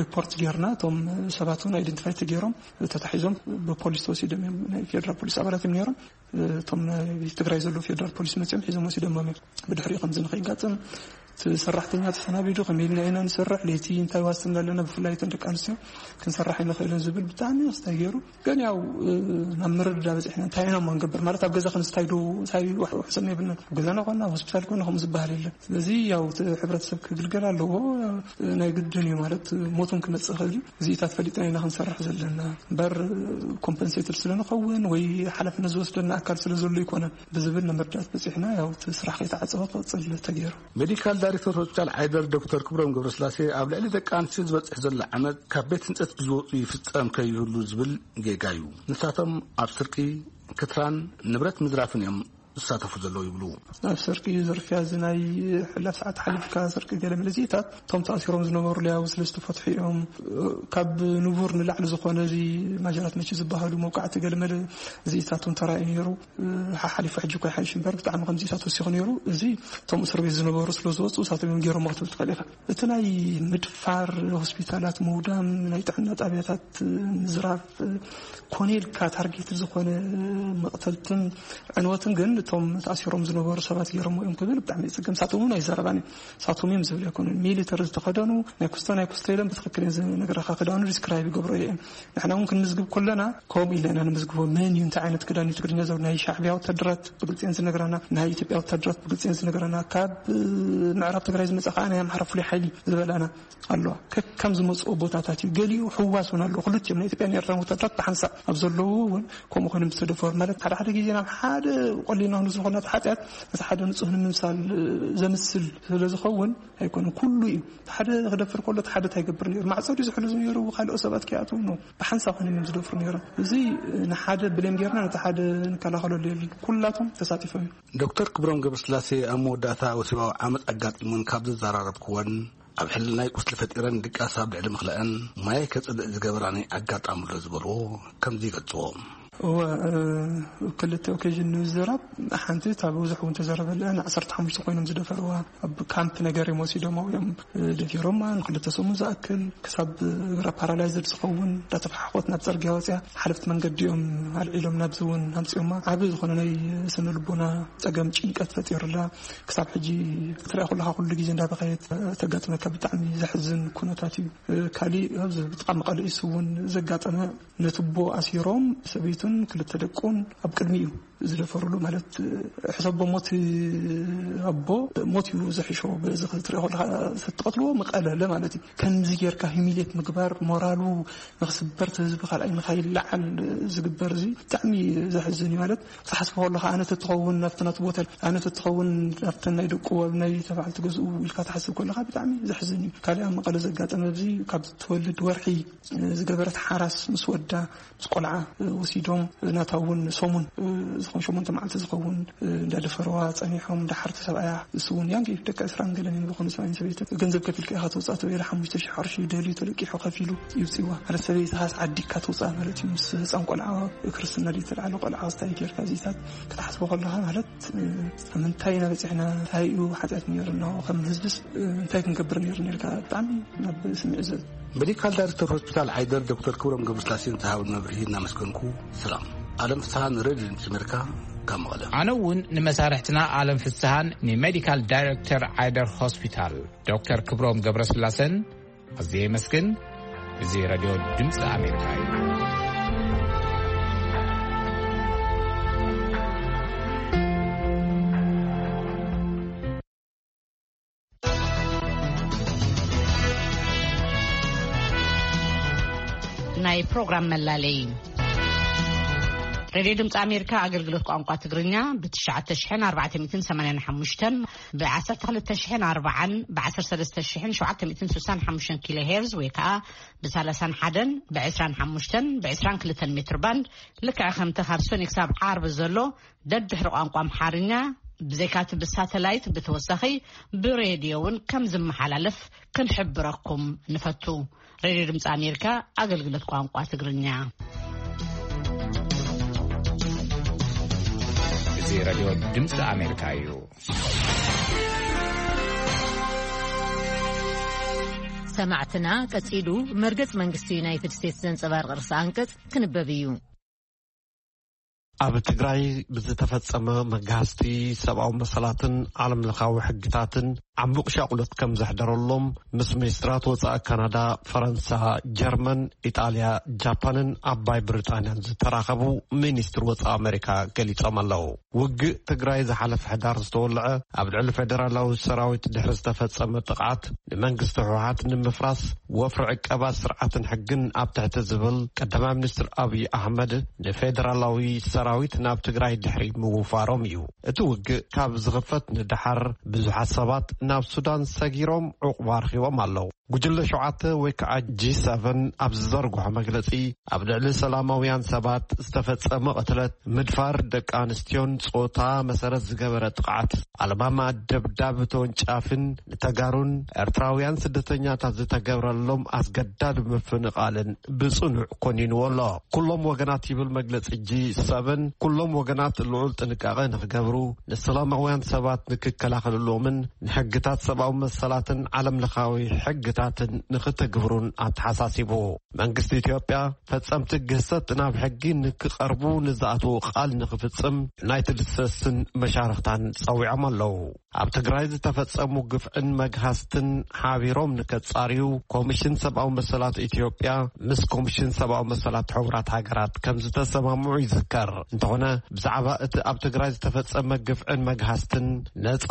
ሪፖርት ጌርና፣ እቶም ሰባት እውን ኣይደንቲፋይ ተገይሮም ተታሒዞም ብፖሊስ ተወሲዶም እዮም። ናይ ፌደራል ፖሊስ ኣባላት እዮም ነይሮም። እቶም ናይ ትግራይ ዘለዉ ፌደራል ፖሊስ መፅኦም ሒዞም ወሲዶሞም እዮም። ብድሕሪኡ ከምዚ ንኸይጋጥም እቲ ሰራሕተኛ ተሰናቢዱ ከመይ ኢልና ኢና ንሰርሕ፣ ለይቲ እንታይ ዋስትና ኣለና፣ ብፍላይ እተን ደቂ ኣንስትዮ ክንሰርሕ ኣይንኽእልን ዝብል ብጣዕሚ ኣስታይ ገይሩ። ግን ያው ናብ ምርድዳ በፂሕና እንታይ ኢና እሞ ንገብር ማለት ኣብ ገዛ ክንስታይ ዶ እንታይ ዋሕ- ውሕሰና የብልናን። ኣብ ገዛና ኮና ኣብ ሆስፒታል ኮና ከምኡ ዝበሃል የለን። ስለዚ ያው እቲ ሕብረተሰብ ክግልገል ኣለዎ። ናይ ግድን እዩ ማለት ሞት እውን ክመፅእ ይኽእል እዩ። እዚኢታት ፈሊጥና ኢና ክንሰርሕ ዘለና እምበር ኮምፐንሴትድ ስለንኸውን ወይ ሓላፍነት ዝወስደና ኣካል ስለ ዘሎ ኣይኮነን ብዝብል ንምርዳት በፂሕና ያው እቲ ስራሕ ከይተዓፀወ ክቕፅል ተገይሩ። ሜዲካል ዳይሬክተር ሆስፒታል ዓይደር ዶክተር ክብሮም ገብረስላሴ ኣብ ልዕሊ ደቂ ኣንስትዮ ዝበፅሕ ዘሎ ዓመፅ ካብ ቤት ህንፀት ብዝወፁ ይፍፀም ከይህሉ ዝብል ጌጋ እዩ። ንሳቶም ኣብ ስርቂ፣ ክትራን ንብረት ምዝራፍን እዮም ዝሳተፉ ዘለዉ ይብሉ። ኣብ ስርቂ ዝርፍያ እዚ ናይ ሕላፍ ሰዓት ሓሊፍካ ስርቂ ገለ መለ እዚኢታት እቶም ተኣሲሮም ዝነበሩ ለያቡ ስለ ዝተፈትሑ እዮም። ካብ ንቡር ንላዕሊ ዝኾነ እዚ ማጀራት መቺ ዝበሃሉ መውቃዕቲ ገለ መለ እዚኢታት እውን ተራእዩ ነይሩ። ሓሓሊፉ ሕጂ እኮ ይሓይሽ እምበር ብጣዕሚ ከምዚኢታት ወሲኹ ነይሩ። እዚ እቶም እስር ቤት ዝነበሩ ስለ ዝወፁ እሳቶም እዮም ገይሮሞ ክትብል ትኽእል ኢኻ። እቲ ናይ ምድፋር፣ ሆስፒታላት ምውዳም፣ ናይ ጥዕና ጣብያታት ምዝራፍ፣ ኮነ ኢልካ ታርጌት ዝኾነ መቕተልትን ዕንወትን ግን እቶም ተኣሲሮም ዝነበሩ ሰባት ገይሮሞ እዮም ክብል ብጣዕሚ ይፅገም። ንሳቶም እውን ኣይዛረባን እዮም። ንሳቶም እዮም ዝብል ኣይኮኑን። ሚሊተሪ ዝተኸደኑ ናይ ኩስቶ ናይ ኩስቶ ኢሎም ብትኽክል እዮም ዝነግረኻ። ክዳኑ ዲስክራይብ ይገብሮ እዮም። ንሕና እውን ክንምዝግብ ከለና ከምኡ ኢልና ኢና ንምዝግቦ። መን እዩ፣ እንታይ ዓይነት ክዳን እዩ፣ ትግርኛ ዘው ናይ ሻዕቢያ ወታደራት ብግልፂ እየን ዝነግረና፣ ናይ ኢትዮጵያ ወታደራት ብግልፂ እየን ዝነግረና። ካብ ምዕራብ ትግራይ ዝመፀ ከዓ ናይ ኣምሓራ ፍሉይ ሓይሊ ዝበላና ኣለዋ። ከከም ዝመፅኦ ቦታታት እዩ። ገሊኡ ሕዋስ እውን ኣለዎ። ክልቲኦም ናይ ኢትዮጵያን ኤርትራን ወታደራት ብሓንሳእ ኣብ ዘለዉ እውን ከምኡ ኮይኖም ዝተደፈሩ ማለት ሓደ ሓደ ግዜ ናብ ሓደ ቆሊና ንዝኾነ ሓጢኣት ነቲ ሓደ ንፁህ ንምምሳል ዘምስል ስለ ዝኸውን ኣይኮነን። ኩሉ እዩ። እቲ ሓደ ክደፍር ከሎ እቲ ሓደ እንታይ ይገብር ነይሩ? ማዕጾ ድዩ ዝሕሉ ነይሩ? ካልኦት ሰባት ከይኣትዉ ነው። ብሓንሳእ ኮይኖም እዮም ዝደፍሩ ነይሮም። እዚ ንሓደ ብሌም ጌርና ነቲ ሓደ ንከላኸለሉ የለን። ኩላቶም ተሳቲፎም እዮም። ዶክተር ክብሮም ገብረስላሴ ኣብ መወዳእታ ወሲባዊ ዓመፅ ኣጋጢሙን ካብ ዘዘራረብክወን ኣብ ሕልናይ ቁስሊ ፈጢረን ድቃስ ኣብ ልዕሊ ምኽለአን ማየ ከፅልእ ዝገበራኒ ኣጋጣሚ ኣሎ ዝበልዎ ከምዚ ይገልፅዎ። እወ፣ እ፣ ክልተ ኦኬዥን ንምዝራብ ሓንቲ እታ ብዙሕ እውን ተዘረበለ ን ዓሰርተ ሓሙሽተ ኮይኖም ዝደፈርዋ ኣብ ካምፕ ነገር እዮም ወሲዶም እዮም፣ እ፣ ደፊሮማ ንክልተ ሰሙን ዝኣክል ክሳብ እግራ ፓራላይዝድ ዝኸውን እንዳተፈሓኮት ናብ ፅርግያ ወፅያ ሓለፍቲ መንገዲ እዮም ኣልዒሎም ናብዚ እውን ኣምፅኦማ። ዓቢ ዝኾነ ናይ ስነ ልቦና ፀገም ጭንቀት ፈጢሩላ ክሳብ ሕጂ ክትሪኣ ኩለኻ ኩሉ ግዜ እንዳበኸየት ተጋጥመካ ብጣዕሚ ዘሕዝን ኩነታት እዩ። እ፣ ካሊእ ኣብዚ ብጥቓ መቐለ ኢሱ እውን ዘጋጠመ ነቲ ኣቦ ኣሲሮም ሰበይቱን ክልተ ደቁን ኣብ ቅድሚኡ ዝደፈርሉ ማለት ሕሰቦ ሞት ኣቦ ሞት እዩ ዝሕሾ። በዚ ክትሪኦ ከለኻ ተትቐትልዎ ምቐለለ ማለት እዩ። ከምዚ ጌርካ ሂሚሌት ምግባር ሞራሉ ንክስበር እቲ ህዝቢ ካልኣይ ንካይለዓል ዝግበር እዚ ብጣዕሚ ዘሕዝን እዩ። ማለት ክትሓስቦ ከለኻ ኣነ ተትኸውን ናብቲ ናቱ ቦታ ኣነ ተትኸውን ናብተን ናይ ደቁ ኣብ ናይ ተባዕልቲ ገዝኡ ኢልካ ትሓስብ ከለኻ ብጣዕሚ ዘሕዝን እዩ። ካልእ ኣብ መቐለ ዘጋጠመ ኣብዚ ካብ ትወልድ ወርሒ ዝገበረት ሓራስ ምስ ወዳ ምስ ቆልዓ ወሲዶ ናታ እውን ሰሙን፣ እ፣ ዝኾን ሸሞንተ መዓልቲ ዝኸውን፣ እ፣ እንዳደፈረዋ ጸኒሖም፣ እንዳሓርቲ ሰብኣያ፣ እሱ እውን ያንጊ ደቂ ዕስራን ገለን እዮም ዝኾኑ፣ ሰብኣይን ሰበይትን። ገንዘብ ከፊልካ ኢኻ ተውጽኣ ተባሂላ ሓሙሽተ ሺሕ ቅርሺ ደልዩ ተለቂሑ ከፊሉ ይውጽእዋ። ማለት ሰበይትኻስ ዓዲካ ተውጽኣ ማለት እዩ። ምስ ህጻን ቆልዓ ክርስትና ድዩ ተልዓለ ቆልዓ ክስታይ ጌርካ እዚታት ክትሓስቦ ከለኻ ማለት፣ እ፣ ኣብ ምንታይ ኢና በጺሕና? እንታይ እዩ ሓጢኣት ነይሩና? ከም ህዝብስ፣ እ፣ እንታይ ክንገብር ነይሩ ነርካ? ብጣዕሚ ናብ ስምዒት ዘ- ሜዲካል ዳይሬክተር ሆስፒታል ዓይደር ዶክተር ክብሮም ገብረስላሴ ንዝሃበኒ መብርሂ እናመስገንኩ ሰላም። ኣለም ፍስሃ ንሬድዮ ድምፂ ኣሜሪካ ካብ መቐለ። ኣነ እውን ንመሳርሕትና ኣለም ፍስሃን ንሜዲካል ዳይሬክተር ዓይደር ሆስፒታል ዶክተር ክብሮም ገብረስላሴን ኣዝየ የመስግን። እዚ ሬድዮ ድምፂ ኣሜሪካ እዩ። ናይ ፕሮግራም መላለይ። ሬድዮ ድምፂ ኣሜሪካ ኣገልግሎት ቋንቋ ትግርኛ ብ ትሽዓተ ሽሕን ኣርባዕተ ሚእትን ሰማንያን ሓሙሽተን፣ ብ ዓሰርተ ክልተ ሽሕን ኣርባዓን፣ ብ ዓሰርተ ሰለስተ ሽሕን ሸውዓተ ሚእትን ስሳን ሓሙሽተን ኪሎ ሄርዝ ወይ ከዓ ብ ሰላሳን ሓደን፣ ብ ዕስራን ሓሙሽተን፣ ብ ዕስራን ክልተን ሜትር ባንድ፣ ልክዕ ከምቲ ካብ ሰኒ ክሳብ ዓርቢ ዘሎ ደድሕሪ ቋንቋ ኣምሓርኛ፣ ብዘይካቲ ብሳተላይት ብተወሳኺ ብሬድዮ እውን ከም ዝመሓላለፍ ክንሕብረኩም ንፈቱ። ሬድዮ ድምፂ ኣሜሪካ ኣገልግሎት ቋንቋ ትግርኛ። እዚ ሬድዮ ድምፂ ኣሜሪካ እዩ። ሰማዕትና፣ ቀጺሉ መርገጽ መንግስቲ ዩናይትድ ስቴትስ ዘንጸባርቕ ርእሰ ኣንቀጽ ክንበብ እዩ። ኣብ ትግራይ ብዝተፈጸመ መግሃስቲ ሰብኣዊ መሰላትን ዓለም ለኻዊ ሕግታትን ዓሙቕ ሻቕሎት ከም ዘሕደረሎም ምስ ሚኒስትራት ወጻኢ ካናዳ፣ ፈረንሳ፣ ጀርመን፣ ኢጣልያ፣ ጃፓንን ዓባይ ብሪጣንያን ዝተራኸቡ ሚኒስትር ወጻኢ ኣሜሪካ ገሊጾም ኣለዉ። ውግእ ትግራይ ዝሓለፈ ሕዳር ዝተወልዐ ኣብ ልዕሊ ፌደራላዊ ሰራዊት ድሕሪ ዝተፈጸመ ጥቕዓት ንመንግስቲ ህወሓት ንምፍራስ ወፍሪ ዕቀባ ስርዓትን ሕግን ኣብ ትሕቲ ዝብል ቀዳማይ ሚኒስትር ኣብይ ኣሕመድ ንፌደራላዊ ሰራዊት ናብ ትግራይ ድሕሪ ምውፋሮም እዩ። እቲ ውግእ ካብ ዝኽፈት ንደሓር ብዙሓት ሰባት ናብ ሱዳን ሰጊሮም ዕቑባ ረኺቦም ኣለዉ። ጉጅለ ሸውዓተ ወይ ከዓ ጂ ሰቨን ኣብ ዝዘርግሖ መግለጺ ኣብ ልዕሊ ሰላማውያን ሰባት ዝተፈጸመ ቅትለት፣ ምድፋር ደቂ ኣንስትዮን ጾታ መሰረት ዝገበረ ጥቕዓት፣ ኣለማማ ደብዳብ ተወንጫፍን ንተጋሩን ኤርትራውያን ስደተኛታት ዝተገብረሎም ኣስገዳድ ምፍንቓልን ብጽኑዕ ኮኒንዎ ኣሎ። ኩሎም ወገናት ይብል መግለጺ ጂ ሰቨን፣ ኩሎም ወገናት ልዑል ጥንቃቐ ንኽገብሩ፣ ንሰላማውያን ሰባት ንክከላኸልሎምን ንሕግታት ሰብኣዊ መሰላትን ዓለም ለኻዊ ሕግታትን ንክትግብሩን ኣተሓሳሲቡ። መንግስቲ ኢትዮጵያ ፈጸምቲ ግህሰት ናብ ሕጊ ንክቐርቡ ንዝኣትዎ ቃል ንክፍጽም ዩናይትድ ስቴትስን መሻርኽታን ጸዊዖም ኣለዉ። ኣብ ትግራይ ዝተፈጸሙ ግፍዕን መግሃስትን ሓቢሮም ንከጻርዩ ኮሚሽን ሰብኣዊ መሰላት ኢትዮጵያ ምስ ኮሚሽን ሰብኣዊ መሰላት ሕቡራት ሃገራት ከም ዝተሰማምዑ ይዝከር። እንተኾነ ብዛዕባ እቲ ኣብ ትግራይ ዝተፈጸመ ግፍዕን መግሃስትን ነጻ፣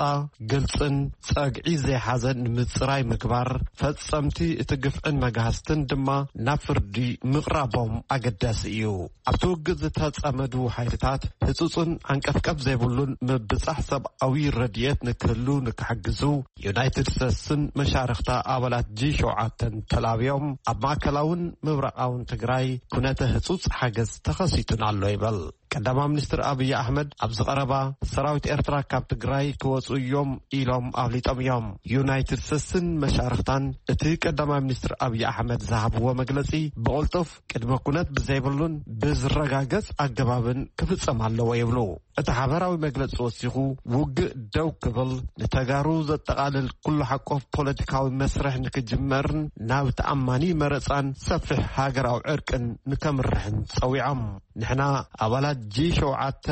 ግልጽን ጸግዒ ዘይሓዘን ንምጽራይ ምግባር፣ ፈጸምቲ እቲ ግፍዕን መግሃስትን ድማ ናብ ፍርዲ ምቕራቦም ኣገዳሲ እዩ። ኣብቲ ውግእ ዝተጸመዱ ሓይልታት ህጹጽን ዓንቀፍቀፍ ዘይብሉን ምብጻሕ ሰብኣዊ ረድኤት ንክህሉ ንክሕግዙ ዩናይትድ ስቴትስን መሻርኽታ ኣባላት ጂ ሸውዓተን ተላብዮም ኣብ ማእከላውን ምብራቓውን ትግራይ ኩነተ ህጹጽ ሓገዝ ተኸሲቱን ኣሎ ይበል። ቀዳማይ ሚኒስትር ኣብይ ኣሕመድ ኣብዚ ቀረባ ሰራዊት ኤርትራ ካብ ትግራይ ክወጹ እዮም ኢሎም ኣፍሊጦም እዮም። ዩናይትድ ስቴትስን መሻርኽታን እቲ ቀዳማይ ሚኒስትር ኣብይ ኣሕመድ ዝሃብዎ መግለጺ ብቕልጡፍ ቅድመ ኩነት ብዘይብሉን ብዝረጋገጽ ኣገባብን ክፍጸም ኣለዎ ይብሉ። እቲ ሓበራዊ መግለጺ ወሲኹ፣ ውግእ ደው ክብል፣ ንተጋሩ ዘጠቓልል ኩሉ ሓቆፍ ፖለቲካዊ መስርሕ ንክጅመርን ናብ ተኣማኒ መረጻን ሰፊሕ ሃገራዊ ዕርቅን ንከምርሕን ጸዊዖም። ንሕና ኣባላት ጂ ሸውዓተ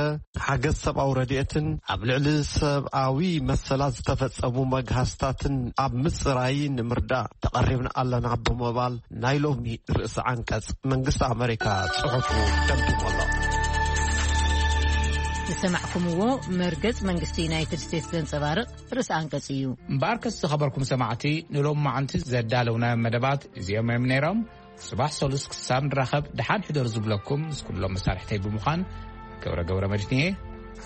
ሓገዝ ሰብኣዊ ረድኤትን ኣብ ልዕሊ ሰብኣዊ መሰላት ዝተፈጸሙ መግሃስታትን ኣብ ምጽራይ ንምርዳእ ተቐሪብና ኣለና ብምባል ናይ ሎሚ ርእሲ ዓንቀጽ መንግስቲ ኣመሪካ ጽሑፉ ደምዲሙ ኣሎ። ዝሰማዕኩምዎ መርገጽ መንግስቲ ዩናይትድ ስቴትስ ዘንጸባርቕ ርእሲ ኣንቀጽ እዩ። እምበኣርከስ ዝኸበርኩም ሰማዕቲ፣ ንሎሚ መዓንቲ ዘዳለውናዮ መደባት እዚኦም እዮም ነይሮም። ጽባሕ ሰሉስ ክሳብ ንራኸብ ደሓን ሕደሩ ዝብለኩም ምስ ኩሎም መሳርሕተይ ብምዃን ገብረ ገብረ መድህን እየ።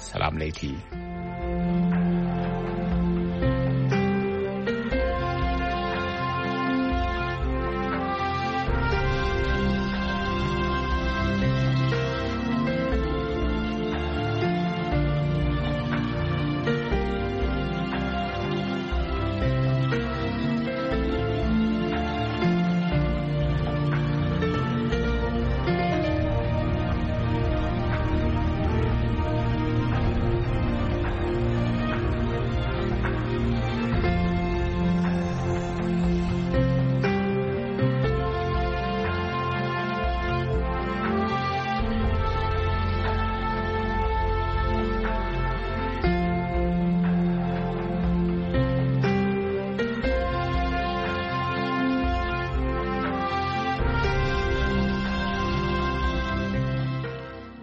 ሰላም ለይቲ።